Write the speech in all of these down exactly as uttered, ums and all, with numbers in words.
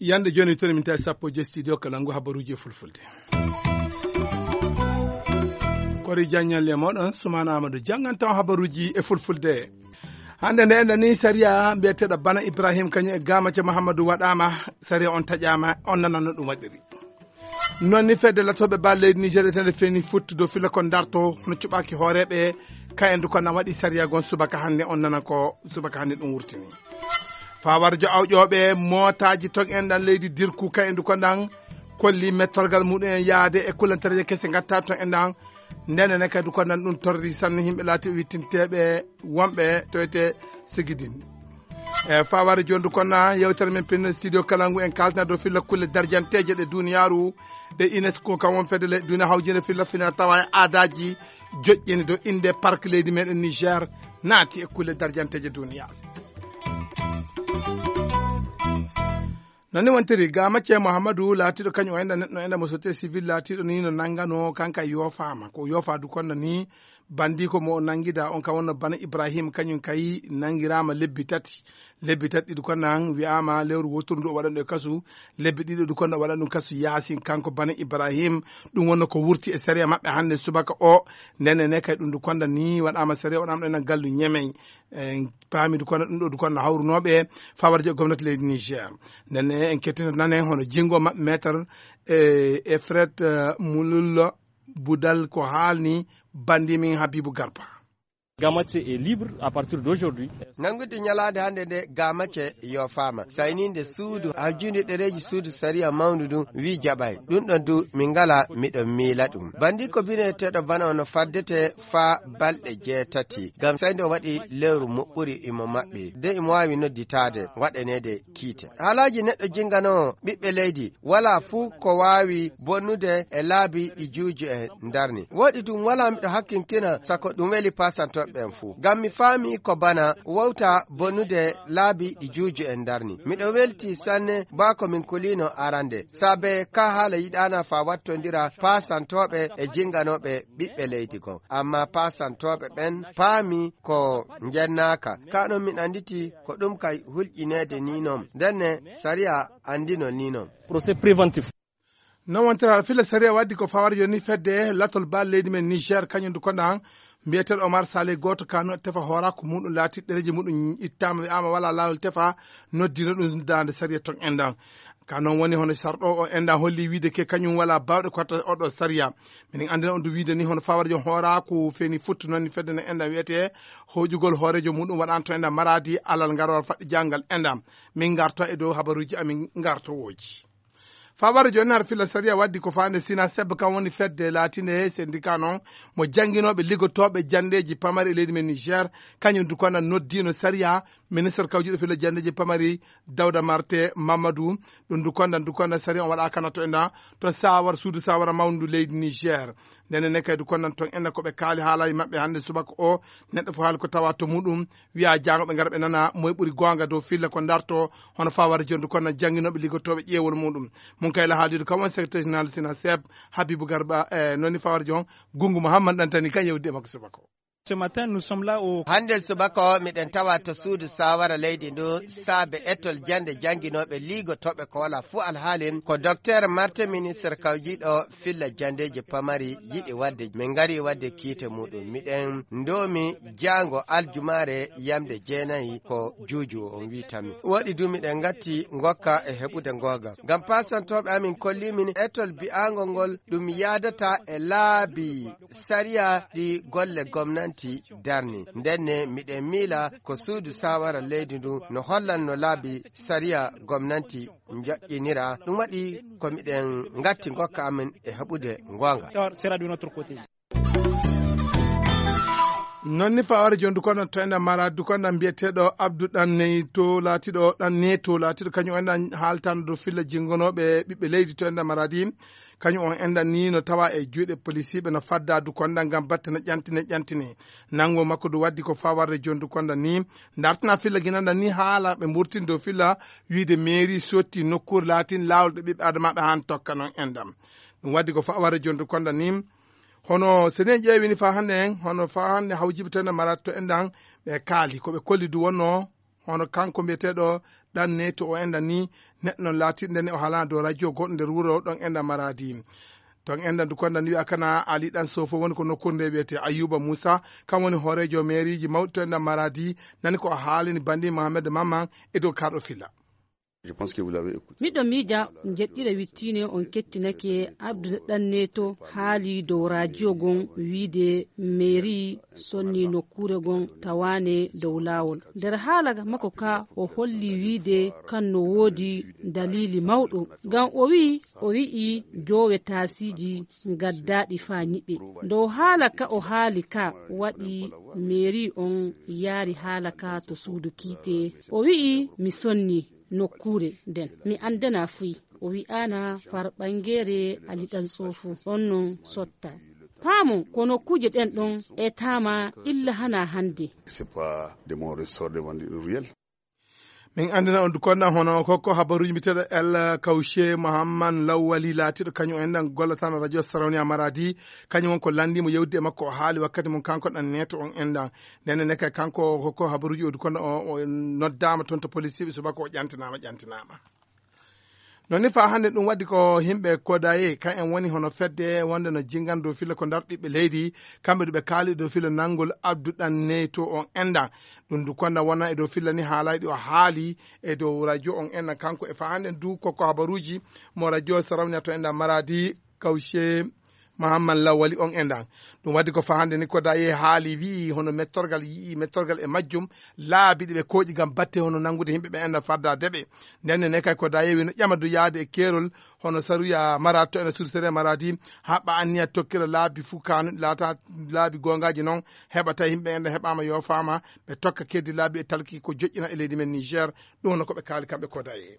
Yande jooni, toon min tawi sappo e joy studio kala ngu habaruuji e fulfulde. Kori jaññalle e mooɗon, Sumaana Amadou janngantaa on habaruuji e fulfulde. Hannde nde enɗan ni, sariya mbiyeteeɗo Bana Ibrahim kañum e Gamace Muhammadu waɗaama, sariya on taƴaama, on nanano ɗum waɗiri. Noon ni, fedde latooɓe bal leydi Niger etende feeni futti dow filla ko darto, hono cuɓaaki hooreeɓe, ka en du ko na waɗi sariya gon subaka hannde, on nana ko subaka hannde ɗum wurtini. Fawar jo awƴooɓe mootaaji ton enɗan leydi Dirku, ka en du ko ɗan kolli mettorgal muɗum en yaade e kullantareeje kese ngatta ton enɗan. Ndenen kadi ko nan ɗum torri sanne yimɓe laati wittinteeɓe wonɓe to wiyetee Sigidin. E faware jooni du kono yewtere men pinne studio kala ngu en kaltana dow filla kulle darjanteeje ɗe duniyaaru, ɗe UNESCO kam won fedde le duniya hawjinde filla fina tawa e aadaaji joƴƴini dow innde park leydi meɗen Niger naati e kulle darjanteeje duniyaaru. Noon ni wontiri, Gamace Muhammadu laatiiɗo kañum o enɗan neɗɗo enɗan mo société civile laatiiɗo ni no nanngano kanka yoofaama. Ko yoofa du kono ni bandi ko mo o nanngida on ka wonno Bana Ibrahim kañum kay nanngiraama lebbi tati. Lebbi tati ɗi du kono nan wi'aama lewru wooturu ndu o waɗan ɗo e kasu. Lebbi ɗiɗo du kono o waɗan ɗum kasu yaasin kanko Bana Ibrahim. Ɗum wonno ko wurti e sariya maɓɓe hannde subaka o. Ndenne ne kay ɗum du kono ni waɗaama sariya waɗaama ɗo enɗan gallu Ñemey. En paami du kono ɗum ɗo du kono hawrunooɓe fawarjo gomnati leydi Niger. Ndenne en kettinta nane hono jinngo maɓɓe maître, e, Efret, e, Mulullo Budal ko haalni bandi min Habibu Garba. Gamace est libre à partir d'aujourd'hui. Nanngude ñalaande hannde nde Gamace yoofaama. Sayninde suudu, hawjinde ɗereeji suudu sariya mawndu ndu wi jaɓay. Ɗum ɗon du min ngala miɗo miila ɗum. Bandi ko bineteeɗo bana ono faddete faa balɗe jeetati. Ngam sayde o waɗi lewru moƴƴuru imo maɓɓi. De imo waawi nodditaade, waɗaneede kiite. Haalaaji neɗɗo jinganoowo ɓiɓɓe leydi, walaa fuu ko waawi bonnude e laabi ɗi juuju en ndarni. Woɗi ɗum walaa miɗo hakkintina sako ɗum weli paasantooɓe ɓen fuu. Ngam mi faami ko bana wowta bonnude laabi ɗi juuju en ndarni. Miɗo welti sanne baa ko min kuliino arande. Saabe ka haala yiɗaana faa wattondira paasantooɓe e jinganooɓe ɓiɓɓe leydi kon. Ammaa paasantooɓe ɓen paami ko njennaaka. Ka non min annditi ko ɗum kay hulƴineede ni non. Ndenne sariya anndino ni non. Procès préventif. Non wontira fila sariya waddi ko fawar yoni fedde latol bal leydi men Niger kañum du konda han mbiyeteeɗo Omar Saleh gooto ka no tefa hooraaku muɗum laati ɗereeji muɗum ittaama wi'aama wala laawol tefa noddino ɗum daande sariya ton endan. Ka non woni hono sarɗo o endan holli wiide ke kañum wala baawɗe ko watta oɗo sariya. Minen anndina on du wiide ni hono fawar jon hooraaku feeni futtu noon ni fedde no endan wiyetee hoƴugol hooreejo muɗum waɗanto endan maraadi alal ngarol faɗɗi janngal endan. Min ngarto e dow habaruuji amin ngartowooji. Fawar jooni har fila sariya waddi ko faande Sina Seb kan woni fedde laatinde he syndicat non mo jannginooɓe liggotooɓe janndeeji pamari e leydi men Niger. Kañum du konda noddiino sariya ministre kawjuɗo fila janndeeji pamari Dawda Marte Mamadou. Ɗum du konda du konda sariya on waɗa kana to endan to sawar suudu sawara mawndu leydi Niger. Ndene ne kay du konda ton endan ko ɓe kaali haalaji maɓɓe hannde subaka o neɗɗo fof haali ko tawa to muɗum. Wiya jaango ɓe ngara ɓe nana moye ɓuri goonga dow filla ko darto hono fawar jon du kono jannginooɓe liggotooɓe ƴeewol muɗum. Mun kay la haaldiiɗo kam on secrétaire général Sina Seb Habibou Garba e noni fawar jon Gungu Mouhammad Dantani kan yewdi e makko subaka o. Ce matin nous sommes là au. Hannde subaka o miɗen tawa to suudu sawara leydi ndu saabe etol jannde jannginooɓe liggotooɓe ko wala fuu alhaalin ko docteur Marte ministre kawjiiɗo filla janndeeji pamari yiɗi waɗde min ngari waɗde kiite muɗum miɗen ndoomi jaango aljumaare yamde jeenayi ko juuju on wiitanmi. Waɗi du miɗen ngatti ngokka e heɓude ngoogam ngam paasantooɓe amin kollimin etol bi'aango ngol ɗum yaadata e laabi sariya ɗi golle gomnanti darni ndenne miɗen miila ko suudu sawara leydi ndu no hollanno laabi sariya gomnanti njoƴƴinira. Ɗum waɗi ko miɗen ngatti ngokka amin e heɓude ngoonga. Sera du notre côté. Noon ni faware jooni dukonda to enɗan maraadi, dukonda mbiyeteeɗo Abdou Ɗan Neyto laatiiɗo, Ɗan Neeto laatiiɗo kañum o enɗan haaltano dow filla jinngonooɓe ɓiɓɓe leydi to enɗan maraadi. Kañum on enɗan ni no tawa e juuɗe polisiiɓe no fadda dukonda ngam batte no ƴantine, ƴantine. Nanngo makko du waddi ko fawarde jooni dukonda ni. Dartina filla ginanɗan ni haala ɓe mburtin dow filla wiide mairie sotti nokkuure laatin laawol ɗo ɓiɓɓe adamaaɓe haan tokka noon enɗan. Ɗum waddi ko fawarde jooni dukonda ni. Hono so en ƴeewi ni faa hannde en, hono faa hannde hawjiɓe to enɗan maraadi to enɗan ɓe kaali. Ko ɓe kolli du wonnoo, hono kanko mbiyeteeɗo Ɗan Neeto o enɗan ni, neɗɗo noon laatiiɗo ndenne o haalaa dow radio goɗɗo nder wuro ɗon enɗan maraadi. Ton enɗan dukonda ni wiya kana Ali Ɗan Soofo woni ko nokkuure nde wiyetee Ayuba Muusa, kam woni hooreejo mairiiji mawɗi to enɗan maraadi, nani ko o haalini banndi Mohamed Mamman e dow kaaɗo filla. Je pense que vous l'avez écouté. Miɗo miija njeɗɗire wittiine on kettinake Abdou Ɗan Neeto haali dow radio gon wiide mairie sonni nokkuure gon tawaane dow laawol. Nder haala makko ka o holli wiide kan no woodi daliili mawɗo. Ngam o wi'i, o wi'i joowe taasiiji ngaddaaɗi faa nyiɓe. Dow haala ka o haali ka waɗi mairie on yaari haala ka to suudu kiite. O wi'i mi sonni nokkuure nden. Mi anndana fuy. O wi'aana far ɓangeere Ali Ɗan Soofu. On non sotta. Paamon, ko nokkuuje ɗen ɗon etaama illa hana hannde. C'est pas de mon ressort de vendre une ruelle. Min anndina on dukonda hono kokko habaruuji mbiyeteeɗo El Kawshe Mohamman Lawwali laatiiɗo kañum o enɗan gollatano radio Sarauniya Maradi. Kañum won ko lanndii mo yewtidde e makko o haali wakkati mum kanko Ɗan Neeto on enɗan. Ndenne ne kay kanko kokko habaruuji o dukonda o, o noddaama toon to polisiiɓe subaka o ƴantinaama, ƴantinaama. Noon ni faa hannde ɗum waddi ko yimɓe Kodaye, kan en woni hono fedde wonde no jinngana dow filla ko ndar ɓiɓɓe leydi, kamɓe du ɓe kaali dow filla nanngol Abdou Ɗan Neeto on enɗan. Ɗum du konda wona e dow filla ni haalay ɗi o haali e dow radio on enɗan. Kanko e faa hannde du kokko habaruuji mo radio Sarauniya to enɗan Maradi, Kawshe Mahamman Lawali on enɗan. Ɗum waddi ko faa hannde ni Kodaye haali wi'i hono mettorgal yi'i mettorgal e majjum laabi ɗi ɓe kooƴi ngam batte hono nanngude yimɓe ɓe enɗan fadda deɓe. Ndenne ne kay Kodaye wino ƴama du yaade e keerol hono Saruya Maradi to enɗan sursere Maradi haɓɓa anniya tokkira laabi fuu kaanuɗi laata laabi goongaaji noon heɓa tawi yimɓe enɗan heɓaama yoofaama ɓe tokka keddi laabi e talki ko joƴƴina e leydi men Niger. Ɗum no ko ɓe kaali kamɓe Kodaye.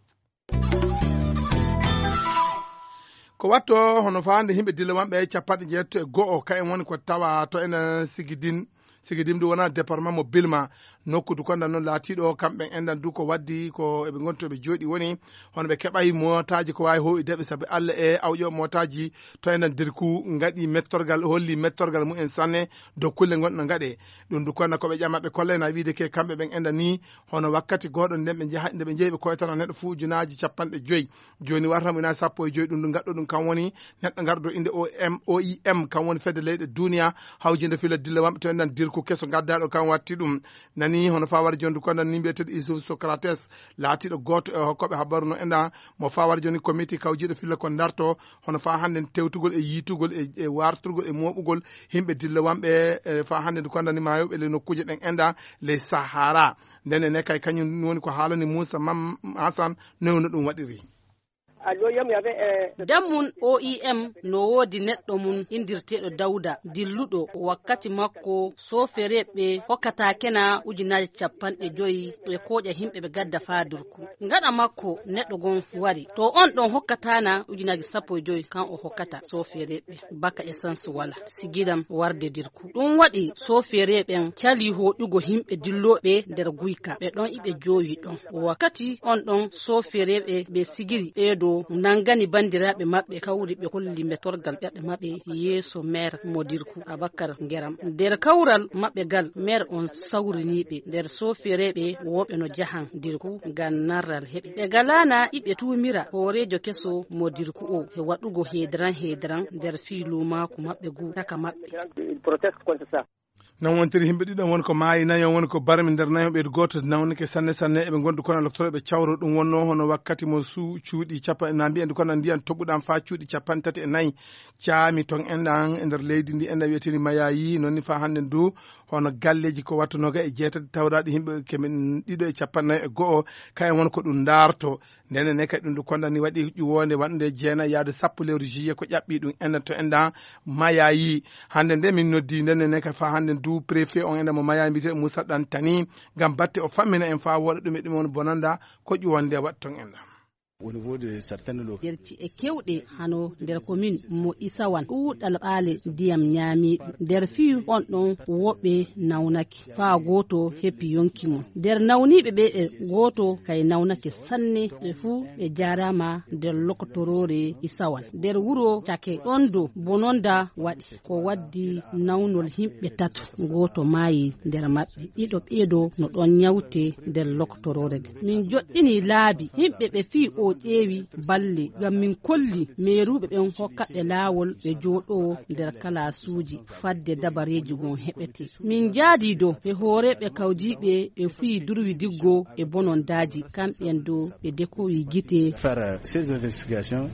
Ko watto hono faande yimɓe dille wanɓe capanɗe jeetto e go'o, kayen woni ko tawa to enen Sigidin. Sigidin ɗum wona département mo Bilma, nokku du konda noon laatiiɗo kamɓe enɗan du ko waddi ko eɓe ngonti ɓe jooɗi woni hono ɓe keɓay mootaaji ko waawi hooyude ɓe sabu Alla e awƴo mootaaji to enɗan Dirku ngaɗi mettorgal, holli mettorgal mumen sanne dow kulle ngonɗe no ngaɗe. Ɗum du konda ko ɓe ƴama ɓe kollay na wiide ke kamɓe ɓen enɗan ni hono wakkati gooɗo nden ɓe njaha, nde ɓe njehi ɓe koytana neɗɗo fuu ujunaaji capanɗe joyi. Jooni warata mo ina sappo e joyi, ɗum ɗum gaɗɗo ɗum kam woni neɗɗo garɗo innde O M, O I M, kam woni fedde leyɗe duniya hawjinde fila dilla wanɓe to enɗan Dirku keso gaddaɗo kam watti ɗum. Nani hono fawar jondu kondan ni mbiyeteɗo Isuf Socrates, laatiɗo gooto e hokkoɓe habaru no enɗan mo fawar joni komiti kawjiɗo fila ko darto hono fa hannde tewtugol e yiitugol e, e warturgol e moɓugol yimɓe dilla wanɓe, e fa hannde ndu kondan ni mayoɓe le nokkuuje ɗen enɗan le Sahara. Nden ene kay kañum woni ko haalani Moussa Mam Hassan, noy no ɗum waɗiri. Dammun O I M no woodi neɗɗo mum inndirteeɗo Dawda, dilluɗo wakkati makko soofereeɓe hokkataakena ujunaaje capanɗe joyi e kooƴa yimɓe ɓe gadda faa Dirku. Ngaɗa makko neɗɗo gon wari. To on ɗon hokkataana ujunaaje sappo e joyi, kan o hokkata soofereeɓe baka essence wala. Sigidam warde Dirku. Ɗum waɗi soofereeɓe ɓen cali hoƴugo yimɓe dillooɓe nder guyka. Ɓe ɗon iɓe joowi ɗon. Wakkati on ɗon soofereeɓe ɓe sigiri ɓeeɗo nangani banndiraaɓe maɓɓe kawri ɓe kolli mettorgal ɓerɗe maɓɓe yeeso meer mo Dirku Abakar Ngeram. Nder kawral maɓɓe gal meer on sawriniiɓe nder soofereeɓe wooɓe no jahan Dirku ngam narral heɓe. Ɓe galaana iɓe tuumira hooreejo keso mo Dirku o e waɗugo heedran heedran nder fii luumaaku maɓɓe gu taka maɓɓe. Nan wontiri yimɓe ɗiɗon woni ko maayi, nayon woni ko barmi nder nayon ɓeydu gooto nawnike sanne sanne. Eɓe ngondu kono loktoro ɓe cawro ɗum wonno hono wakkati mo su cuuɗi capanɗe na mbiyen kono ndiyan toɓuɗan faa cuuɗi capanɗe tati e nayi caami ton enɗan e nder leydi ndi enɗan wiyeteni mayayi. Noon ni faa hannde ndu hono galleeji ko wattu noga e jeetati tawraɗi yimɓe kemin ɗiɗo e capanɗe nayi e go'o. Kayen woni ko ɗum ndaarto. Ndenne ne kadi ɗum ndu kondani waɗi ƴuwoonde waɗnde jeena yaade sappo lewru juillet ko ƴaɓɓi ɗum enda to enda mayayi. Hannde nde min noddi ndenne ne ka fa hannde ndu préfet on enda mo mayayi mbiyete Moussa Dantani ngam batte o fammina en fa woɗa ɗum e ɗum on bonanda ko ƴuwonde waɗton enda. Au niveau de certaines lo- Nder ci'e kewɗe hano nder komin mo Isawan ɗuuɗal ɓaale ndiyam ñaamiiɗi nder fii on ɗon woɓɓe nawnake faa gooto heppi yonki mum. Nder nawniiɓe ɓe ɓe gooto kay nawnake sanne ɓe fuu ɓe jaaraama nder lokotoroore Isawan nder wuro cake ɗon do bononda waɗi ko waddi nawnol himɓe tato gooto maayi nder maɓɓe ɗiɗo ɓeeɗo no ɗon ñawte nder lokotoroore nde. Min joɗɗini laabi yimɓe ɓe fii o ƴeewi balle ngam min kolli meeruuɓe ɓen hokkaɓe laawol ɓe jooɗoo nder kalaasuuji fadde dabareeji gon heɓete. Min njaadi do e hooreeɓe kawjiiɓe e fii durwi diggo e bonondaaji kamɓen do ɓe dekowi gite. Faire ces investigations.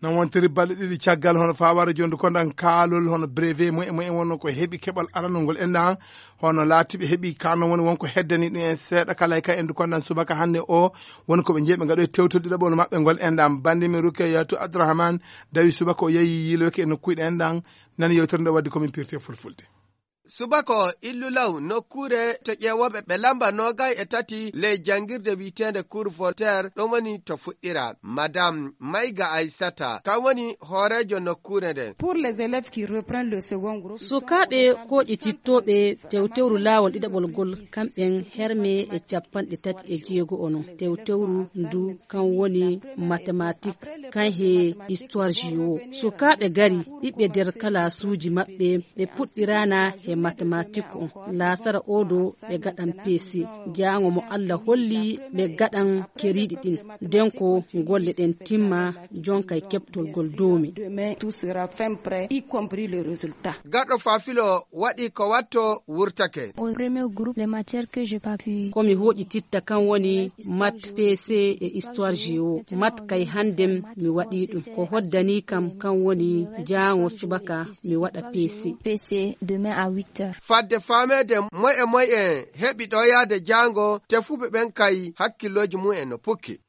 Non wontiri balɗe ɗiɗi caggal hono fawara jondu kondan kaalol hono brevet mo e mo en wonno ko heɓi keɓal aranol ngol endan hono laatiɓe heɓi kano woni wonko heddani ɗum en seeɗa kala e ka endu kondan subaka hannde o woni ko ɓe jeeɓe ngaɗo e tewtol ɗiɗaɓol maɓɓe ngol endan bandi min ruke yatu abdourahmane dawi subaka o yeeyi yiiloyke e nokkuɗe endan nani yewtere nde waddi komin pirte fulfulde. Subaka o illu law nokkuure to ƴeewooɓe ɓe lamba noogay e tati ley janngirde wi'eteende Cour Voltaire ɗon woni to fuɗɗira. Madame Mayga Aysata kan woni hooreejo nokkuure nden. Pour les élèves qui reprennent le second groupe. Sukaaɓe kooƴitittooɓe tewtewru laawol ɗiɗaɓol ngol kamɓen herme e capanɗe tati e jeego ono tewtewru ndu kan woni mathématique kan he histoire géo. Sukaaɓe gari ɗiɓɓe nder kalaasuuji maɓɓe ɓe puɗɗiraana he mathématique on laasara oɗo ɓe gaɗan pc jaango mo allah holli ɓe gaɗan keriiɗi ɗin nden ko golle ɗen timma jonka e keɓtol gol doomi. Demain tout sera fin prêt y compris le résultat. Gaɗo fafilo waɗi ko watto wurtake. Au premier groupe les matières que j'ai pas pu. Komi hoƴi titta kan woni mat pc e histoire géo mat kay handem mi waɗi ɗum ko hoddani kam kan woni jaango subaka mi waɗa pc. Pc demain à huit heures. Fadde fameede moye moye heɓi ɗo yaade jaango tefuɓe ɓen kay hakkillooji mum en no pukki.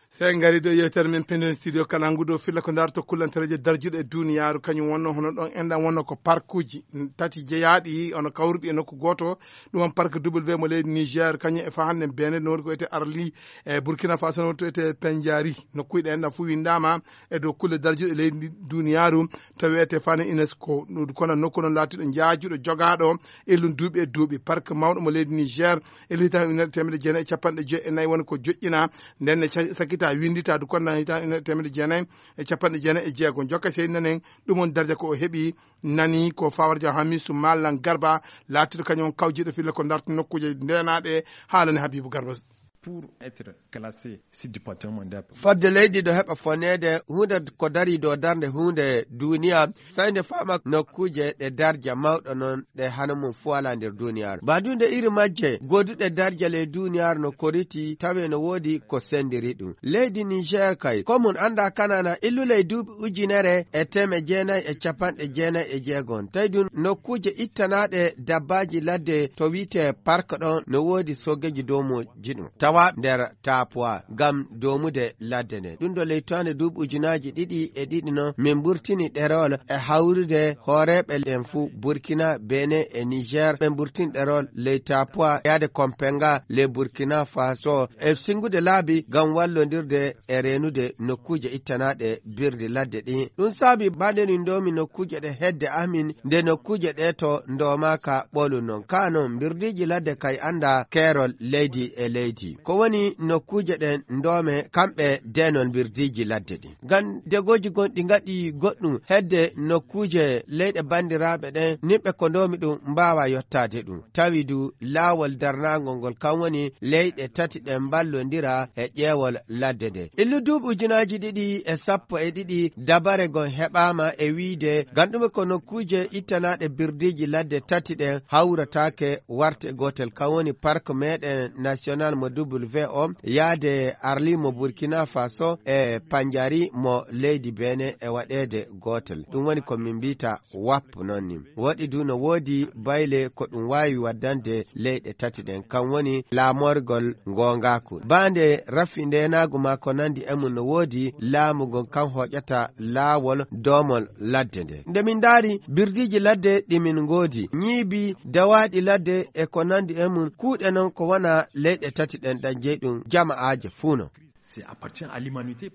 Sey ngari ɗo yewtere men penden studio kala ngudo filla ko darto kullantereje darjuɗe e duniyaaru kañum wonno hono ɗon enɗan wonno ko parkuji tati jeyaaɗi ono kawruɗi e nokku gooto. Ɗum on parc w mo leydi niger kañum e fa hannde bene no woni ko wiyete arli e burkina faso no woni to wiyete penjari nokkuyɗe enɗan fof winndama e dow kulle darjuɗe leydi ndi duniyaaru. To wiyete fane unesco kono nokku noon laatiɗo jaajuɗo jogaaɗo illum duuɓi e duuɓi parc mawɗo mo leydi niger e lita ujunere temedde jeenayi e capanɗe joyi e nayi woni ko joƴƴina. Nden ne ca- sakkita winndita du konda hita ujunere temedde jeenayi e capanɗe jeenayi e jeego jokka sey nanen. Ɗum on darja ko o heɓi nani ko fawarja hamisu mallan garba laatiɗo kañum on kawjiɗo filla ko darta nokkuuje ndenaɗe. Haalani habibu garba. Pour être classé site du patrimoine mondial. Fodde leydi ɗo heɓa foneede huunde ko dari dow darnde huunde duniya. Sey nde faama nokkuuje ɗe darja mawɗo noon ɗe hano mum fuwala nder duniyaaru mbaadunde iri majje goduɗe darja ley duniyaaru no koriti tawe no woodi ko sendiri ɗum. Leydi niger kay ko mum annda kanana illu ley duuɓi ujunere e teme jeenayi e capanɗe jeenayi e jeegon tawi ɗum nokkuuje ittanaɗe dabbaaji ladde to wi'ete park ɗon no woodi soogeeji doomo jiɗum tawa nder tapwa ngam doomude ladde nden ɗum ɗo leytoonde duuɓi ujunaaji ɗiɗi e ɗiɗi noon min mburtini ɗerol e hawrude hooreeɓe en fuu burkina bene e niger ɓe mburtini ɗerol ley tapwa yaade kompenga ley burkina faso e singude laabi ngam wallondirde e reenude nokkuuje ittanaaɗe birdi ladde ɗin ɗum saabi mbaɗeni ndoomi nokkuuje ɗe hedde amin nde nokkuuje ɗe to ndomaaka ɓolu noon ka noon mbirdiiji ladde kay annda keerol leydi e leydi ko woni nokkuuje ɗen ndoome kamɓe deenol mbirdiiji ladde ɗin ngam degooji gonɗi ngaɗi goɗɗum hedde nokkuuje leyɗe banndiraaɓe ɗen niɓɓe ko ndoomi ɗum mbaawa yottaade ɗum tawi du laawol darnaangol ngol kam woni leyɗe tati ɗe mballondira e ƴeewol ladde nde illu duuɓi ujunaaji ɗiɗi e sappo e ɗiɗi dabare gon heɓaama e wiide gandume ko nokkuuje ittanaaɗe birdiiji ladde tati ɗen hawrataake warte gootel kam woni park meɗen national mo W O yaade arli mo Burkina Faso e panjari mo leydi Benin e waɗeede gootel. Ɗum woni ko min mbiyta wap noon ni. Waɗi du no woodi bayle ko ɗum waawi waddande leyɗe tati ɗen, kam woni laamorgol ngoongaaku. Baande rafi ndeenaagu maa ko nanndi e mum no woodi laamu ngon kan hooƴata laawol doomol ladde nde. Nde min ndaari birdiiji ladde ɗi min ngoodi, ñiibi dawaaɗi ladde e ko nanndi e mum, kuuɗe noon ko wona leyɗe tati ɗen ɗan jeyi ɗum jama'aaje fuu no. C'est appartient à l'humanité.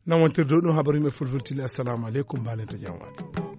Nan wontirde ɗum habaru yimɓe fulfultili. Assalamu aleykum, mbaɗen to jam waɗi.